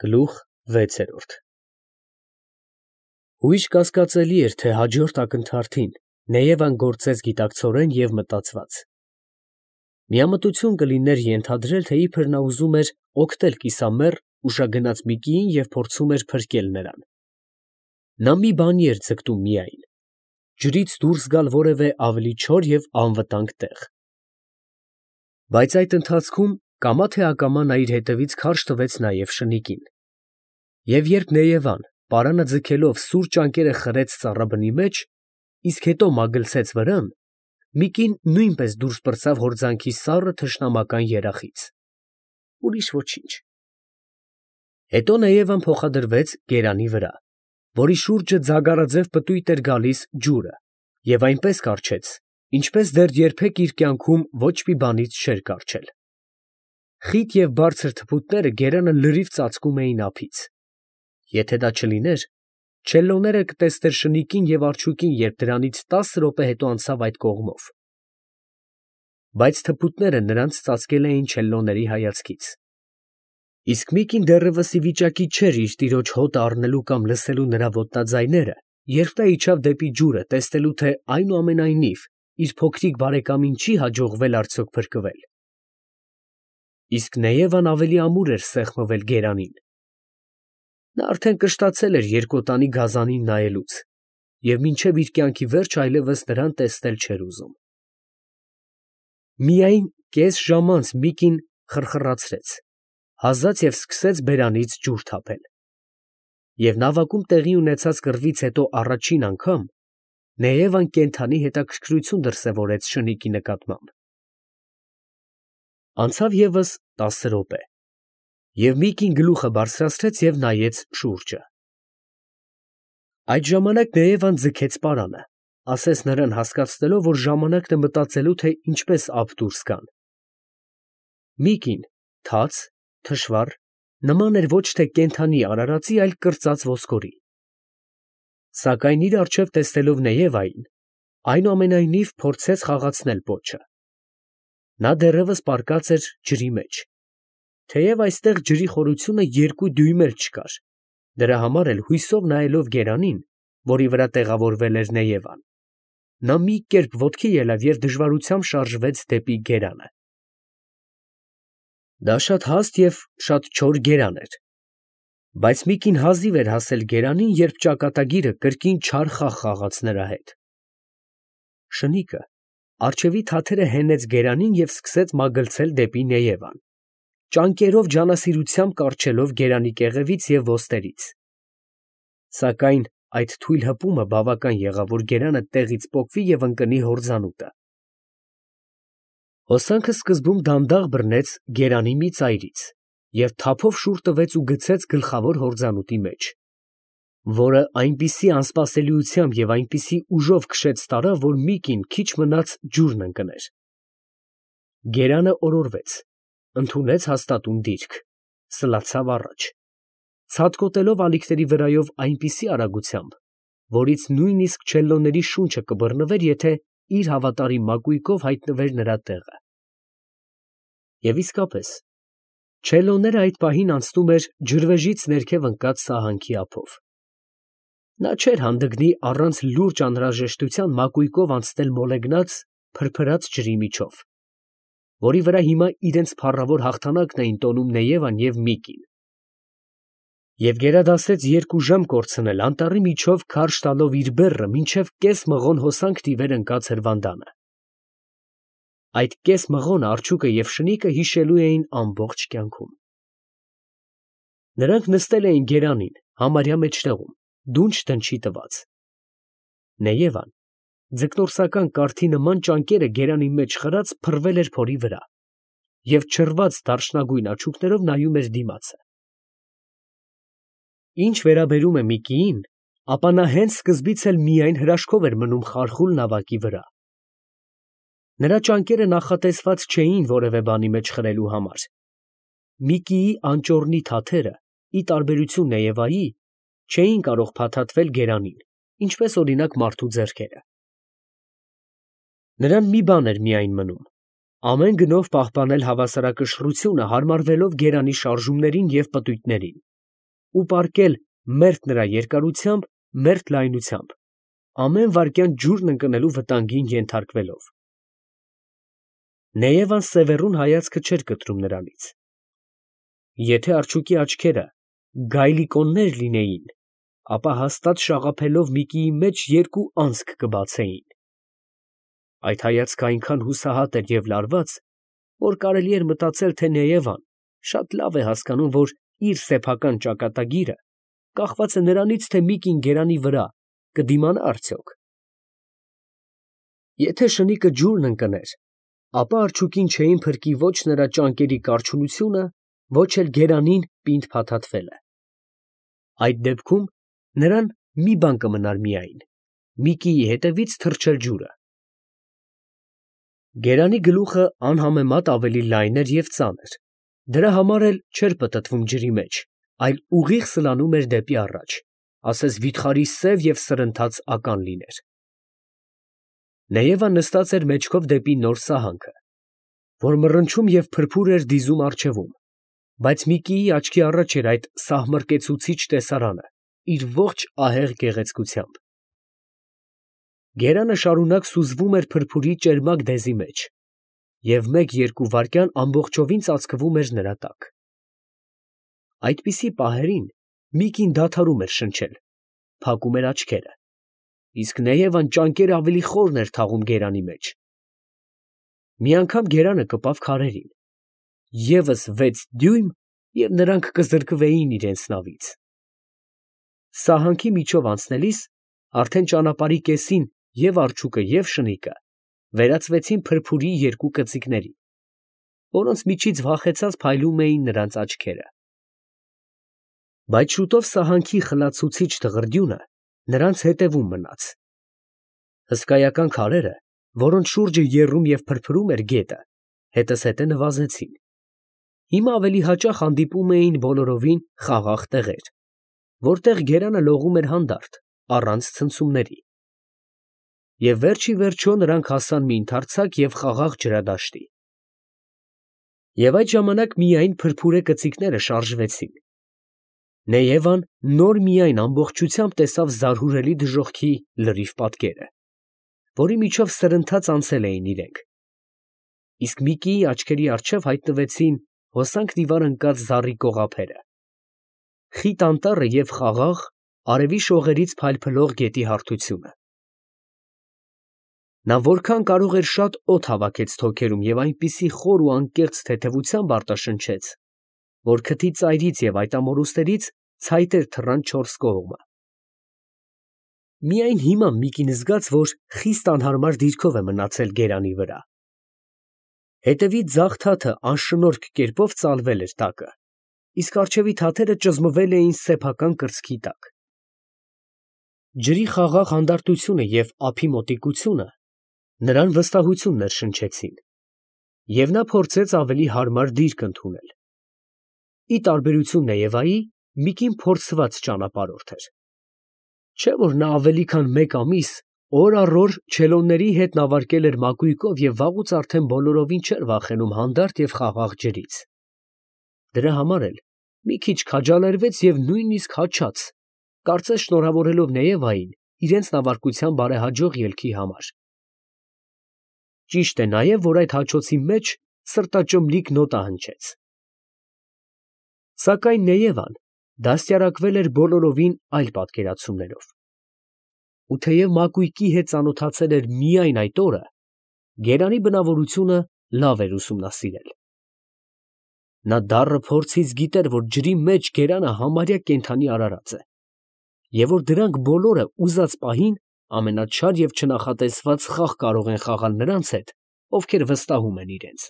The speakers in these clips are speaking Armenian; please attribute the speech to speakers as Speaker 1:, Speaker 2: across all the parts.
Speaker 1: Գլուխ 6 Հույժ կասկածելի էր, թե հաջորդ ակնթարթին Նեևան գործեց գիտակցորեն և մտածված. միամտություն կլիներ ենթադրել, թե իբր նա ուզում էր օգտել կիսամեռ ուշագնաց Միկիին և փորձում էր փրկել նրան. նա մի բանի էր ձգտում միայն, ջրից դուրս գալ որևէ ավելի չոր և անվտանգ տեղ. բայց այդ ընթացքում կամա թե ակամա նա իր հետևից քարշ տվեց նաև շնիկին, և երբ Նեևան պարանը ձգելով սուր ճանկերը խրեց ծառաբնի մեջ, իսկ հետո մագլցեց վրան, Միկին նույնպես դուրս պրծավ հորձանքի սառը թշնամական երախից, ուրիշ ոչինչ. հետո Նեևան փոխադրվեց գերանի վրա, որի շուրջը ձագարաձև պտույտ էր գալիս ջուրը, և այնպես կառչեց, ինչպես դեռ երբեք իր կյանքում ոչ մի բանից չէր կառչել. խիտ և բարձր թփուտները գերանը լրիվ ծածկում էին ափից. եթե դա չլիներ, չելլոները կտեսներ շնիկին և արջուկին, երբ դրանից 10 րոպե հետո անցավ այդ կողմով. բայց թփուտները նրանց ծածկել էին չելլոների հայացքից. իսկ Միկին դեռևս ի վիճակի չէր իր տիրոջ հոտը առնելու կամ լսելու նրա ոտնաձայները, երբ նա իջավ դեպի ջուրը, տեսնելու, թե այնուամենայնիվ իր փոքրիկ բարեկամին չի հաջողվել արդյոք փրկվել. իսկ Նեևան ավելի ամուր էր սեղմվել գերանին. նա արդեն կշտացել էր երկոտանի գազանին նայելուց և մինչև իր կյանքի վերջը այլևս նրան տեսնել չէր ուզում. միայն կես ժամ անց Միկին խրխրացրեց, հազաց և սկսեց բերանից ջուր թափել, և նավակում տեղի ունեցած կռվից հետո առաջին անգամ Նեևան կենդանի հետաքրքրություն դրսևորեց շնիկի նկատմամբ. անցավ ևս 10 րոպե, և Միկին գլուխը բարձրացրեց և նայեց շուրջը. այդ ժամանակ Նեևան ձգեց պարանը, ասես նրան հասկացնելով, որ ժամանակն է մտածելու, թե ինչպես ափ դուրս գան. Միկին թաց, թշվառ, նման էր ոչ թե կենդանի արարածի, այլ կրծած ոսկորի, սակայն իր առջև տեսնելով Նեևային, այնուամենայնիվ փորձեց խաղացնել պոչը. նա դեռևս պառկած էր ջրի մեջ, թեև այստեղ ջրի խորությունը 2 դյույմ էլ չկար, դրա համար էլ հույսով նայելով գերանին, որի վրա տեղավորվել էր Նեևան, նա մի կերպ ոտքի ելավ և դժվարությամբ շարժվեց դեպի գերանը. դա շատ հաստ և շատ չոր գերան էր, բայց Միկին հազիվ էր հասել գերանին, երբ ճակատագիրը կրկին չար խաղ խաղաց նրա հետ. շնիկը առջևի թաթերը հենեց գերանին և սկսեց մագլցել դեպի Նեևան, ճանկերով ջանասիրությամբ կառչելով գերանի կեղևից և ոտներից, սակայն այդ թույլ հպումը բավական եղավ, որ գերանը տեղից պոկվի և ընկնի հորձանուտը. հոսանքը սկզբում դանդաղ բռնեց գերանի մի ծայրից և թափով շուռ տվեց ու գցեց գլխավոր հորձանուտի մեջ, որը այնպիսի անսպասելիությամբ և այնպիսի ուժով քշեց տարավ, որ Միկին քիչ մնաց ջուրն ընկներ. գերանը օրորվեց, ընդունեց հաստատուն դիրք, սլացավ առաջ, ցատկոտելով ալիքների վրայով այնպիսի արագությամբ, որից նույնիսկ չելլոների շունչը կբռնվեր, եթե իր հավատարիմ մակույկով հայտնվեր նրա տեղը. և իսկապես, չելլոները այդ պահին անցնում էր ջրվեժից ներքև ընկած սահանքի ափով. նա չէր հանդգնի առանց լուրջ անհրաժեշտության մակույկով անցնել մոլեգնած, փրփրած ջրի միջով, որի վրա հիմա իրենց փառավոր հաղթանակն էին տոնում Նեևան և Միկին, և գերադասեց 2 ժամ կորցնել անտառի միջով քարշ տալով իր բեռը, մինչև կես մղոն հոսանք տիվեր ընկած հրվանդանը. այդ կես մղոնը արջուկը և շնիկը հիշելու էին ամբողջ կյանքում. նրանք նստել էին գերանին, համարյա մեջտեղում, դունչ դնչի տված. Նեևան, ձկնորսական կարթի նման ճանկերը գերանի մեջ խրած, փռվել էր փորի վրա և չռված դարչնագույն աչուկներով նայում էր դիմացը. ինչ վերաբերում է Միկիին, ապա նա հենց սկզբից էլ միայն հրաշքով էր մնում խարխուլ նավակի վրա. նրա ճանկերը նախատեսված չէին որևէ բանի մեջ խրելու համար. Միկիի անճոռնի թաթերը, ի տարբերություն Նեևայի, չէին կարող փաթաթվել գերանին, ինչպես օրինակ մարդու ձեռքերը. նրան մի բան էր միայն մնում. ամեն գնով պահպանել հավասարակշռությունը, հարմարվելով գերանի շարժումներին և պտույտներին, ու պառկել մերթ նրա երկարությամբ, մերթ լայնությամբ, ամեն վայրկյան ջուրն ընկնելու վտանգին ենթարկվելով։ Նեևան սևեռուն հայացքը չէր կտրում նրանից։ Եթե արջուկի աչքերը գայլիկոններ լինեին, ապա հաստատ շաղափելով Միկիի մեջ երկու անցք կբացեին։ Այդ հայացքը այնքան հուսահատ էր և լարված, որ կարելի էր մտածել, թե Նեևան շատ լավ է հասկանում, որ իր սեփական ճակատագիրը կախված է նրանից, թե Միկին գերանի վրա կդիմանա արդյոք։ Եթե շնիկը ջուրն ընկներ, ապա արջուկին չէին փրկի ոչ նրա ճանկերի կարճունությունը, ոչ էլ գերանին պինդ փաթաթվելը։ Այդ դեպքում նրան մի բան կմնար միայն՝ Միկիի հետևից թռչել ջուրը։ Գերանի գլուխը անհամեմատ ավելի լայն էր և ծանր, դրա համար էլ չէր պտտվում ջրի մեջ, այլ ուղիղ սլանում էր դեպի առաջ, ասես վիթխարի սև և սրընթաց ական լիներ։ Նեևան նստած էր մեջքով դեպի նոր սահանքը, որ մռնչում և փրփուր էր դիզում առջևում, բայց Միկիի աչքի առաջ էր այդ սահմռկեցուցիչ տեսարանը իր ողջ ահեղ գեղեցկությամբ։ Գերանը շարունակ սուզվում էր փրփուրի ճերմակ դեզի մեջ, և մեկ֊երկու վայրկյան ամբողջովին ծածկվում էր նրա տակ։ Այդպիսի պահերին Միկին դադարում էր շնչել, փակում էր աչքերը, իսկ Նեևան ճանկերը ավելի խորն էր թաղում գերանի մեջ։ Մի անգամ գերանը կպավ քարերին, ևս 6 դյույմ, և նրանք կզրկվեին իրենց նավից։ Սահանքի միջով անցնելիս արդեն ճանապարհի կեսին և արջուկը, և շնիկը վերածվեցին փրփուրի երկու կծիկների, որոնց միջից վախեցած փայլում էին նրանց աչքերը։ Բայց շուտով սահանքի խլացուցիչ դղրդյունը նրանց հետևում մնաց։ Հսկայական քարերը, որոնց շուրջը եռում և փրփրում էր գետը, հետզհետե նվազեցին։ Հիմա ավելի հաճախ հանդիպում էին բոլորովին խաղաղ տեղեր, որտեղ գերանը լողում էր հանդարտ, առանց ցնցումների։ Եվ վերջ ի վերջո նրանք հասան մի ընդարձակ և խաղաղ ջրադաշտի։ Եվ այդ ժամանակ միայն փրփուրե կծիկները շարժվեցին։ Նեևան նոր միայն ամբողջությամբ տեսավ զարհուրելի դժոխքի լրիվ պատկերը, որի միջով սրընթաց անցել էին իրենք, իսկ Միկիի աչքերի առջև հայտնվեցին հոսանքն ի վար ընկած զառի կողափերը, խիտ անտառը և խաղաղ, արևի շողերից փայլփլող գետի հարթությունը։ Նա որքան կարող էր շատ օդ հավաքեց թոքերում և այնպիսի խոր ու անկեղծ թեթևությամբ արտաշնչեց, որ քթի ծայրից և այդ ամորուստներից ցայտեր թռան չորս կողմը։ Միայն հիմա Միկին զգաց, որ խիստ անհարմար դիրքով է մնացել գերանի վրա։ Հետևի ձախ թաթը անշնորհք կերպով ծալվել էր տակը, իսկ առջևի թաթերը ճզմվել էին սեփական կրծքի տակ։ Ջրի խաղաղ հանդարտությունը և ափի մոտիկությունը նրան վստահություն ներշնչեցին, և նա փորձեց ավելի հարմար դիրք ընդունել։ Ի տարբերություն Նեևայի, Միկին փորձված ճանապարհորդ էր։ Չէ՞ որ նա ավելի քան մեկ ամիս օր առ օր չելոնների հետ նավարկել էր մակույկով և վաղուց արդեն բոլորովին չէր վախենում հանդարտ և խաղաղ ջրից։ Դրա համար էլ մի քիչ քաջալերվեց և նույնիսկ հաճաց, կարծես շնորհավորելով Նեևային իրենց նավարկության բարեհաջող ելքի համար։ Ճիշտ է նաև, որ այդ հաճոցի մեջ սրտաճմլիկ նոտա հնչեց։ Սակայն Նեևան դաստիարակվել էր բոլորովին այլ պատկերացումներով։ Ու թեև մակույկի հետ ծանոթացել էր միայն այդ օրը, գերանի բնավորությունը լավ էր ուսումնասիրել։ Նա դառը փորձից գիտեր, որ ջրի մեջ գերանը համարյա կենդանի արարած է, և որ դրանք բոլորը ուզած պահին ամենաչար և չնախատեսված խաղ կարող են խաղալ նրանց հետ, ովքեր վստահում են իրենց։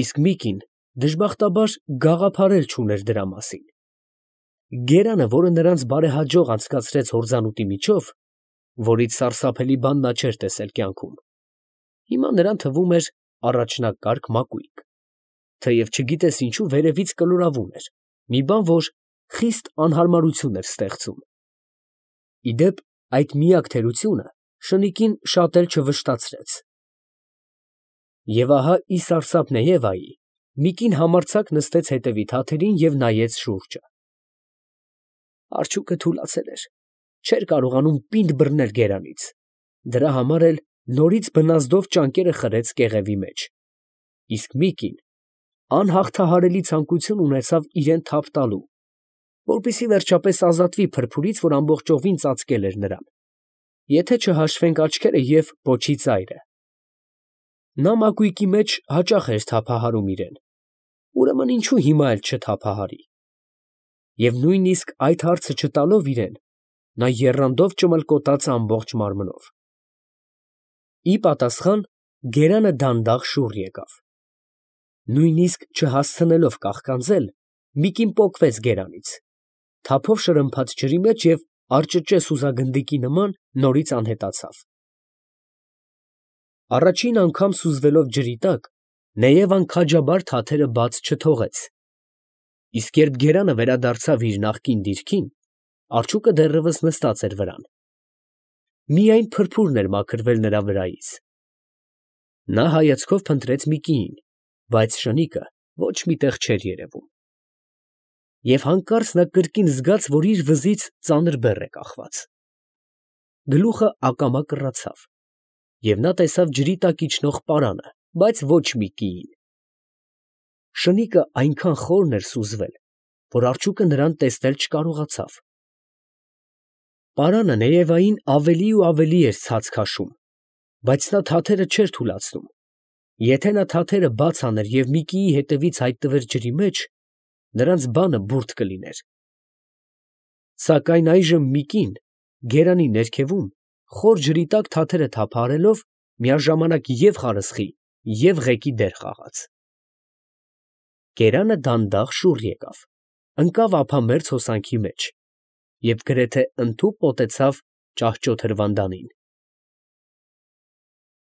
Speaker 1: Իսկ Միկին դժբախտաբար գաղափար էլ չուներ դրա մասին։ Գերանը, որը նրանց բարեհաջող անցկացրեց հորձանուտի միջով, որից սարսափելի բան նա չէր տեսել կյանքում, հիմա նրան թվում էր առաջնակարգ մակույկ, թեև չգիտես ինչու վերևից կլորավուն էր, մի բան, որ խիստ անհարմարություն էր ստեղծում։ Ի դեպ, այդ միակ թերությունը շնիկին շատ էլ չվշտացրեց։ Եվ ահա, ի սարսափ Նեևայի, Միկին համարձակ նստեց հետևի թաթերին և նայեց շուրջը։ Արջուկը թուլացել էր, չէր կարողանում պինդ բռնել գերանից, դրա համար էլ նորից բնազդով ճանկերը խրեց կեղևի մեջ, իսկ Միկին անհաղթահարելի ցանկություն ունեցավ իրան թափ տալու, որպեսզի վերջապես ազատվի փրփուրից, որ ամբողջովին ծածկել էր նրան, եթե չհաշվենք աչքերը և պոչի ծայրը։ Նա մակույկի մեջ հաճախ էր թափահարում իրան, ուրեմն ինչու հիմա էլ չթափահարի։ Եվ նույնիսկ այդ հարցը չտալով իրան, նա եռանդով ճմլկոտաց ամբողջ մարմնով։ Ի պատասխան գերանը դանդաղ շուռ եկավ։ Նույնիսկ չհասցնելով կաղկանձել, Միկին պոկվեց գերանից, թափով շրմփաց ջրի մեջ և արճճե սուզագնդիկի նման նորից անհետացավ։ Առաջին անգամ սուզվելով ջրի տակ, Նեևան քաջաբար թաթերը բաց չթողեց, իսկ երբ գերանը վերադարձավ իր նախկին դիրքին, արջուկը դեռևս նստած էր վրան։ Միայն փրփուրն էր մաքրվել նրա վրայից։ Նա հայացքով փնտրեց Միկիին, բայց շնիկը ոչ մի տեղ չէր երևում։ Եվ հանկարծ նա կրկին զգաց, որ իր վզից ծանր բեռ է կախված։ Գլուխը ակամա կռացավ, և նա տեսավ ջրի տակ իջնող պարանը, բայց ոչ Միկիին։ Շնիկը այնքան խորն էր սուզվել, որ արջուկը նրան տեսնել չկարողացավ։ Պարանը Նեևային ավելի ու ավելի էր ցած քաշում, բայց նա թաթերը չէր թուլացնում։ Եթե նա թաթերը բաց աներ և Միկիի հետևից հայտնվեր ջրի մեջ, նրանց բանը բուրդ կլիներ։ Սակայն այժմ Միկին գերանի ներքևում, խոր ջրի տակ թաթերը թափահարելով, միաժամանակ և խարսխի, և ղեկի դեր խաղաց։ Գերանը դանդաղ շուռ եկավ, ընկավ ափամերձ հոսանքի մեջ և գրեթե ընդհուպ մոտեցավ ճահճոտ հրվանդանին։